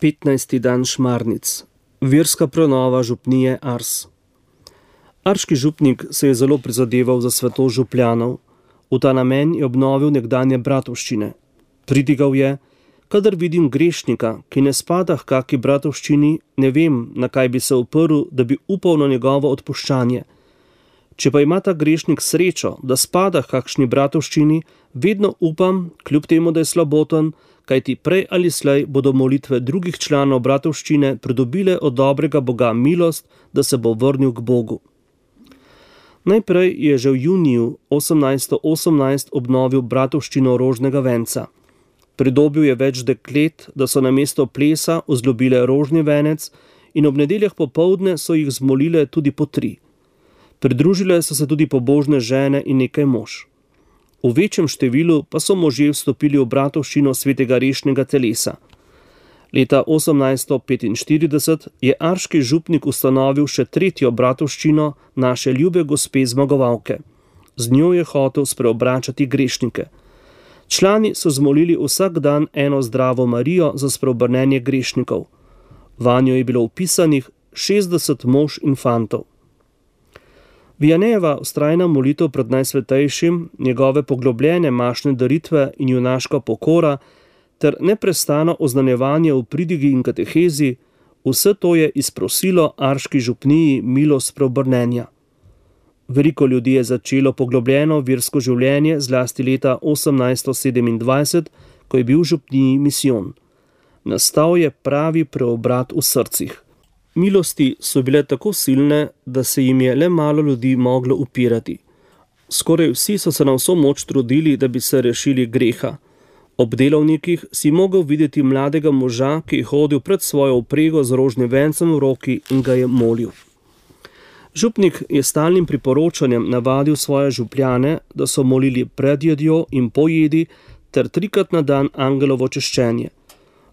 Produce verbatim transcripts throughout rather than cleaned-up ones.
petnajsti dan Šmarnic. Verska prenova župnije Ars. Arški župnik se je zelo prizadeval za svetost župljanov. V ta namen je obnovil nekdanje bratovščine. Pridigal je: kadar vidim grešnika, ki ne spada h kaki bratovščini, ne vem, na kaj bi se uprl, da bi upal na njegovo odpuščanje. Če pa ima ta grešnik srečo, da spada h kakšni bratovščini, vedno upam, kljub temu, da je slaboten, kajti prej ali slej bodo molitve drugih članov bratovščine pridobile od dobrega Boga milost, da se bo vrnil k Bogu. Najprej je že v juniju osemnajststo osemnajst obnovil bratovščino Rožnega venca. Pridobil je več deklet, da so namesto plesa vzljubile rožni venec, in ob nedeljah popoldne so jih zmolile tudi po tri. Pridružile so se tudi pobožne žene in nekaj mož. V večjem številu pa so možje vstopili v bratovščino svetega rešnega telesa. Leta osemnajststo petinštirideset je arški župnik ustanovil še tretjo bratovščino naše ljube gospe zmagovalke. Z njo je hotel spreobračati grešnike. Člani so zmolili vsak dan eno zdravo Marijo za spreobrnenje grešnikov. Vanjo je bilo vpisanih šestdeset mož in fantov. Vianejeva vztrajna molitev pred Najsvetejšim, njegove poglobljene mašne daritve in junaška pokora ter neprestano oznanjevanje v pridigi in katehezi, vse to je izprosilo arški župniji milost spreobrnenja. Veliko ljudi je začelo poglobljeno versko življenje zlasti leta osemnajststo sedemindvajset, ko je bil v župniji misijon. Nastal je pravi preobrat v srcih. Milosti so bile tako silne, da se jim je le malo ljudi moglo upirati. Skoraj vsi so se na vso moč trudili, da bi se rešili greha. Ob delovnikih si mogel videti mladega moža, ki je hodil pred svojo vprego z rožnim vencem v roki in ga je molil. Župnik je stalnim priporočanjem navadil svoje župljane, da so molili pred jedjo in po jedi ter trikrat na dan angelovo češčenje.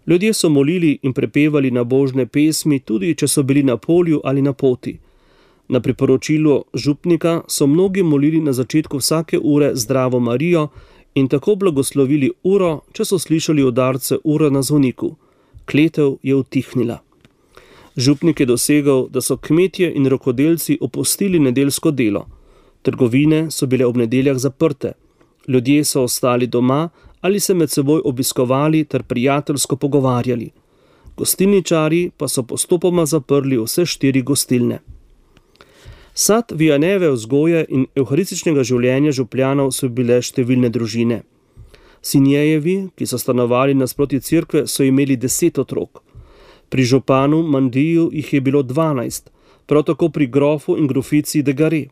Ljudje so molili in prepevali nabožne pesmi, tudi če so bili na polju ali na poti. Na priporočilo župnika so mnogi molili na začetku vsake ure Zdravo Marijo in tako blagoslovili uro, če so slišali udarce ure na zvoniku. Kletev je utihnila. Župnik je dosegel, da so kmetje in rokodelci opustili nedeljsko delo. Trgovine so bile ob nedeljah zaprte. Ljudje so ostali doma ali se med seboj obiskovali ter prijateljsko pogovarjali. Gostilničarji pa so postopoma zaprli vse štiri gostilne. Sad Vianejeve vzgoje in evharističnega življenja župljanov so bile številne družine. Sinjejevi, ki so stanovali nasproti cerkve, so imeli deset otrok. Pri županu Mandiju jih je bilo dvanajst, prav tako pri grofu in grofici de Gare.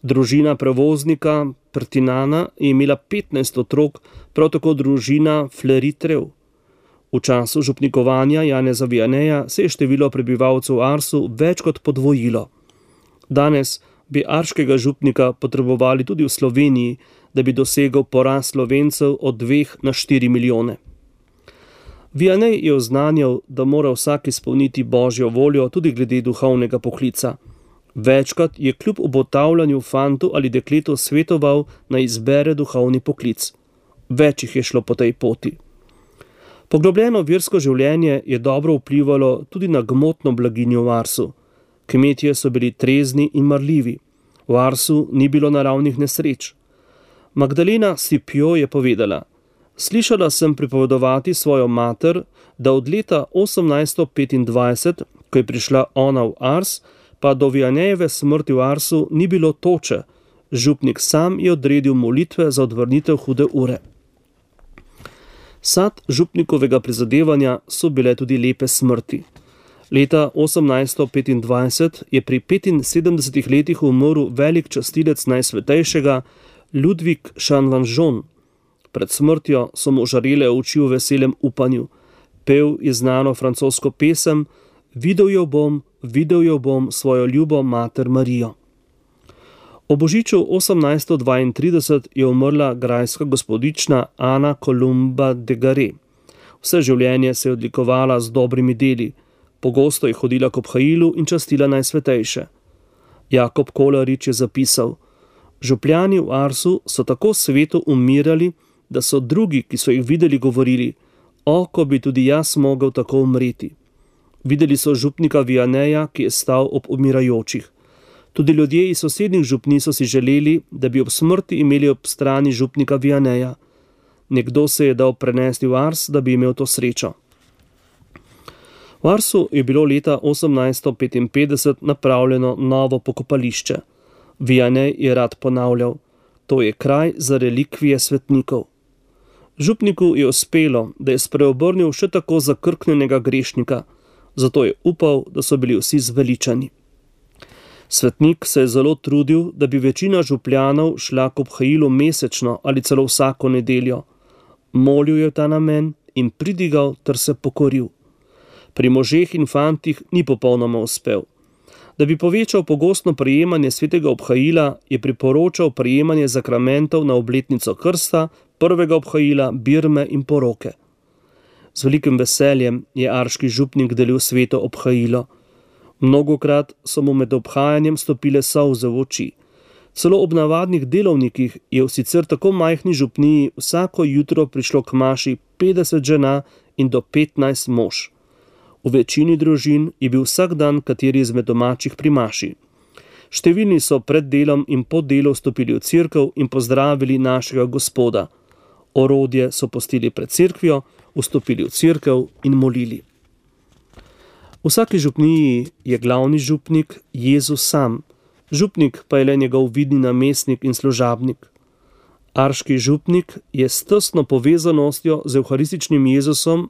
Družina prevoznika Prtinana je imela petnajst otrok, prav tako družina Fleritrev. V času župnikovanja Janeza Vianeja se je število prebivalcev v Arsu več kot podvojilo. Danes bi arškega župnika potrebovali tudi v Sloveniji, da bi dosegel porast Slovencev od dveh na štiri milijone. Vianej je oznanjal, da mora vsak izpolniti Božjo voljo tudi glede duhovnega poklica. Večkrat je kljub obotavljanju fantu ali dekletu svetoval, naj izbere duhovni poklic. Več jih je šlo po tej poti. Poglobljeno versko življenje je dobro vplivalo tudi na gmotno blaginjo v Arsu. Kmetje so bili trezni in marljivi. V Arsu ni bilo naravnih nesreč. Magdalena Scipio je povedala: slišala sem pripovedovati svojo mater, da od leta osemnajststo petindvajset, ko je prišla ona v Ars, pa do Vianejeve smrti v Arsu ni bilo toče. Župnik sam je odredil molitve za odvrnitev hude ure. Sad župnikovega prizadevanja so bile tudi lepe smrti. Leta osemnajststo petindvajset je pri petinsedemdesetih letih umrl velik častilec Najsvetejšega Ludvik Šanvanžon. Pred smrtjo so mu žarele oči v veselem upanju. Pel je znano francosko pesem Videl jo bom, videl jo bom svojo ljubo mater Marijo. O božiču osemnajststo dvaintrideset je umrla grajska gospodična Ana Kolumba de Gare. Vse življenje se je odlikovala z dobrimi deli. Pogosto je hodila k obhajilu in častila Najsvetejše. Jakob Kolarič je zapisal: župljani v Arsu so tako sveto umirali, da so drugi, ki so jih videli, govorili: O, ko bi tudi jaz mogel tako umreti. Videli so župnika Vianeja, ki je stal ob umirajočih. Tudi ljudje iz sosednjih župni so si želeli, da bi ob smrti imeli ob strani župnika Vianeja. Nekdo se je dal prenesti v Ars, da bi imel to srečo. V Arsu je bilo leta osemnajststo petinpetdeset napravljeno novo pokopališče. Vianej je rad ponavljal: to je kraj za relikvije svetnikov. Župniku je uspelo, da je spreobrnil še tako zakrknjenega grešnika, zato je upal, da so bili vsi zveličani. Svetnik se je zelo trudil, da bi večina župljanov šla k obhajilu mesečno ali celo vsako nedeljo. Molil je ta namen in pridigal ter se pokoril. Pri možeh in fantih ni popolnoma uspel. Da bi povečal pogostno prejemanje svetega obhajila, je priporočal prejemanje zakramentov na obletnico krsta, prvega obhajila, birme in poroke. Z velikim veseljem je arški župnik delil sveto obhajilo. Mnogokrat so mu med obhajanjem stopile solze v oči. Celo ob navadnih delovnikih je v sicer tako majhni župniji vsako jutro prišlo k maši petdeset žena in do petnajst mož. V večini družin je bil vsak dan kateri izmed domačih pri maši. Številni so pred delom in po delu vstopili v cerkev in pozdravili našega Gospoda. Orodje so pustili pred cerkvijo, vstopili v cerkev in molili. V vsaki župniji je glavni župnik Jezus sam, župnik pa je le njegov vidni namestnik in služabnik. Arški župnik je s tesno povezanostjo z evharističnim Jezusom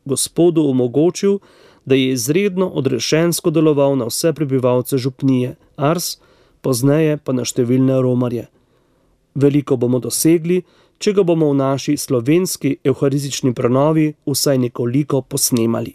Gospodu omogočil, da je izredno odrešensko deloval na vse prebivalce župnije Ars, pozneje pa na številne romarje. Veliko bomo dosegli, če ga bomo v naši slovenski evharistični prenovi vsaj nekoliko posnemali.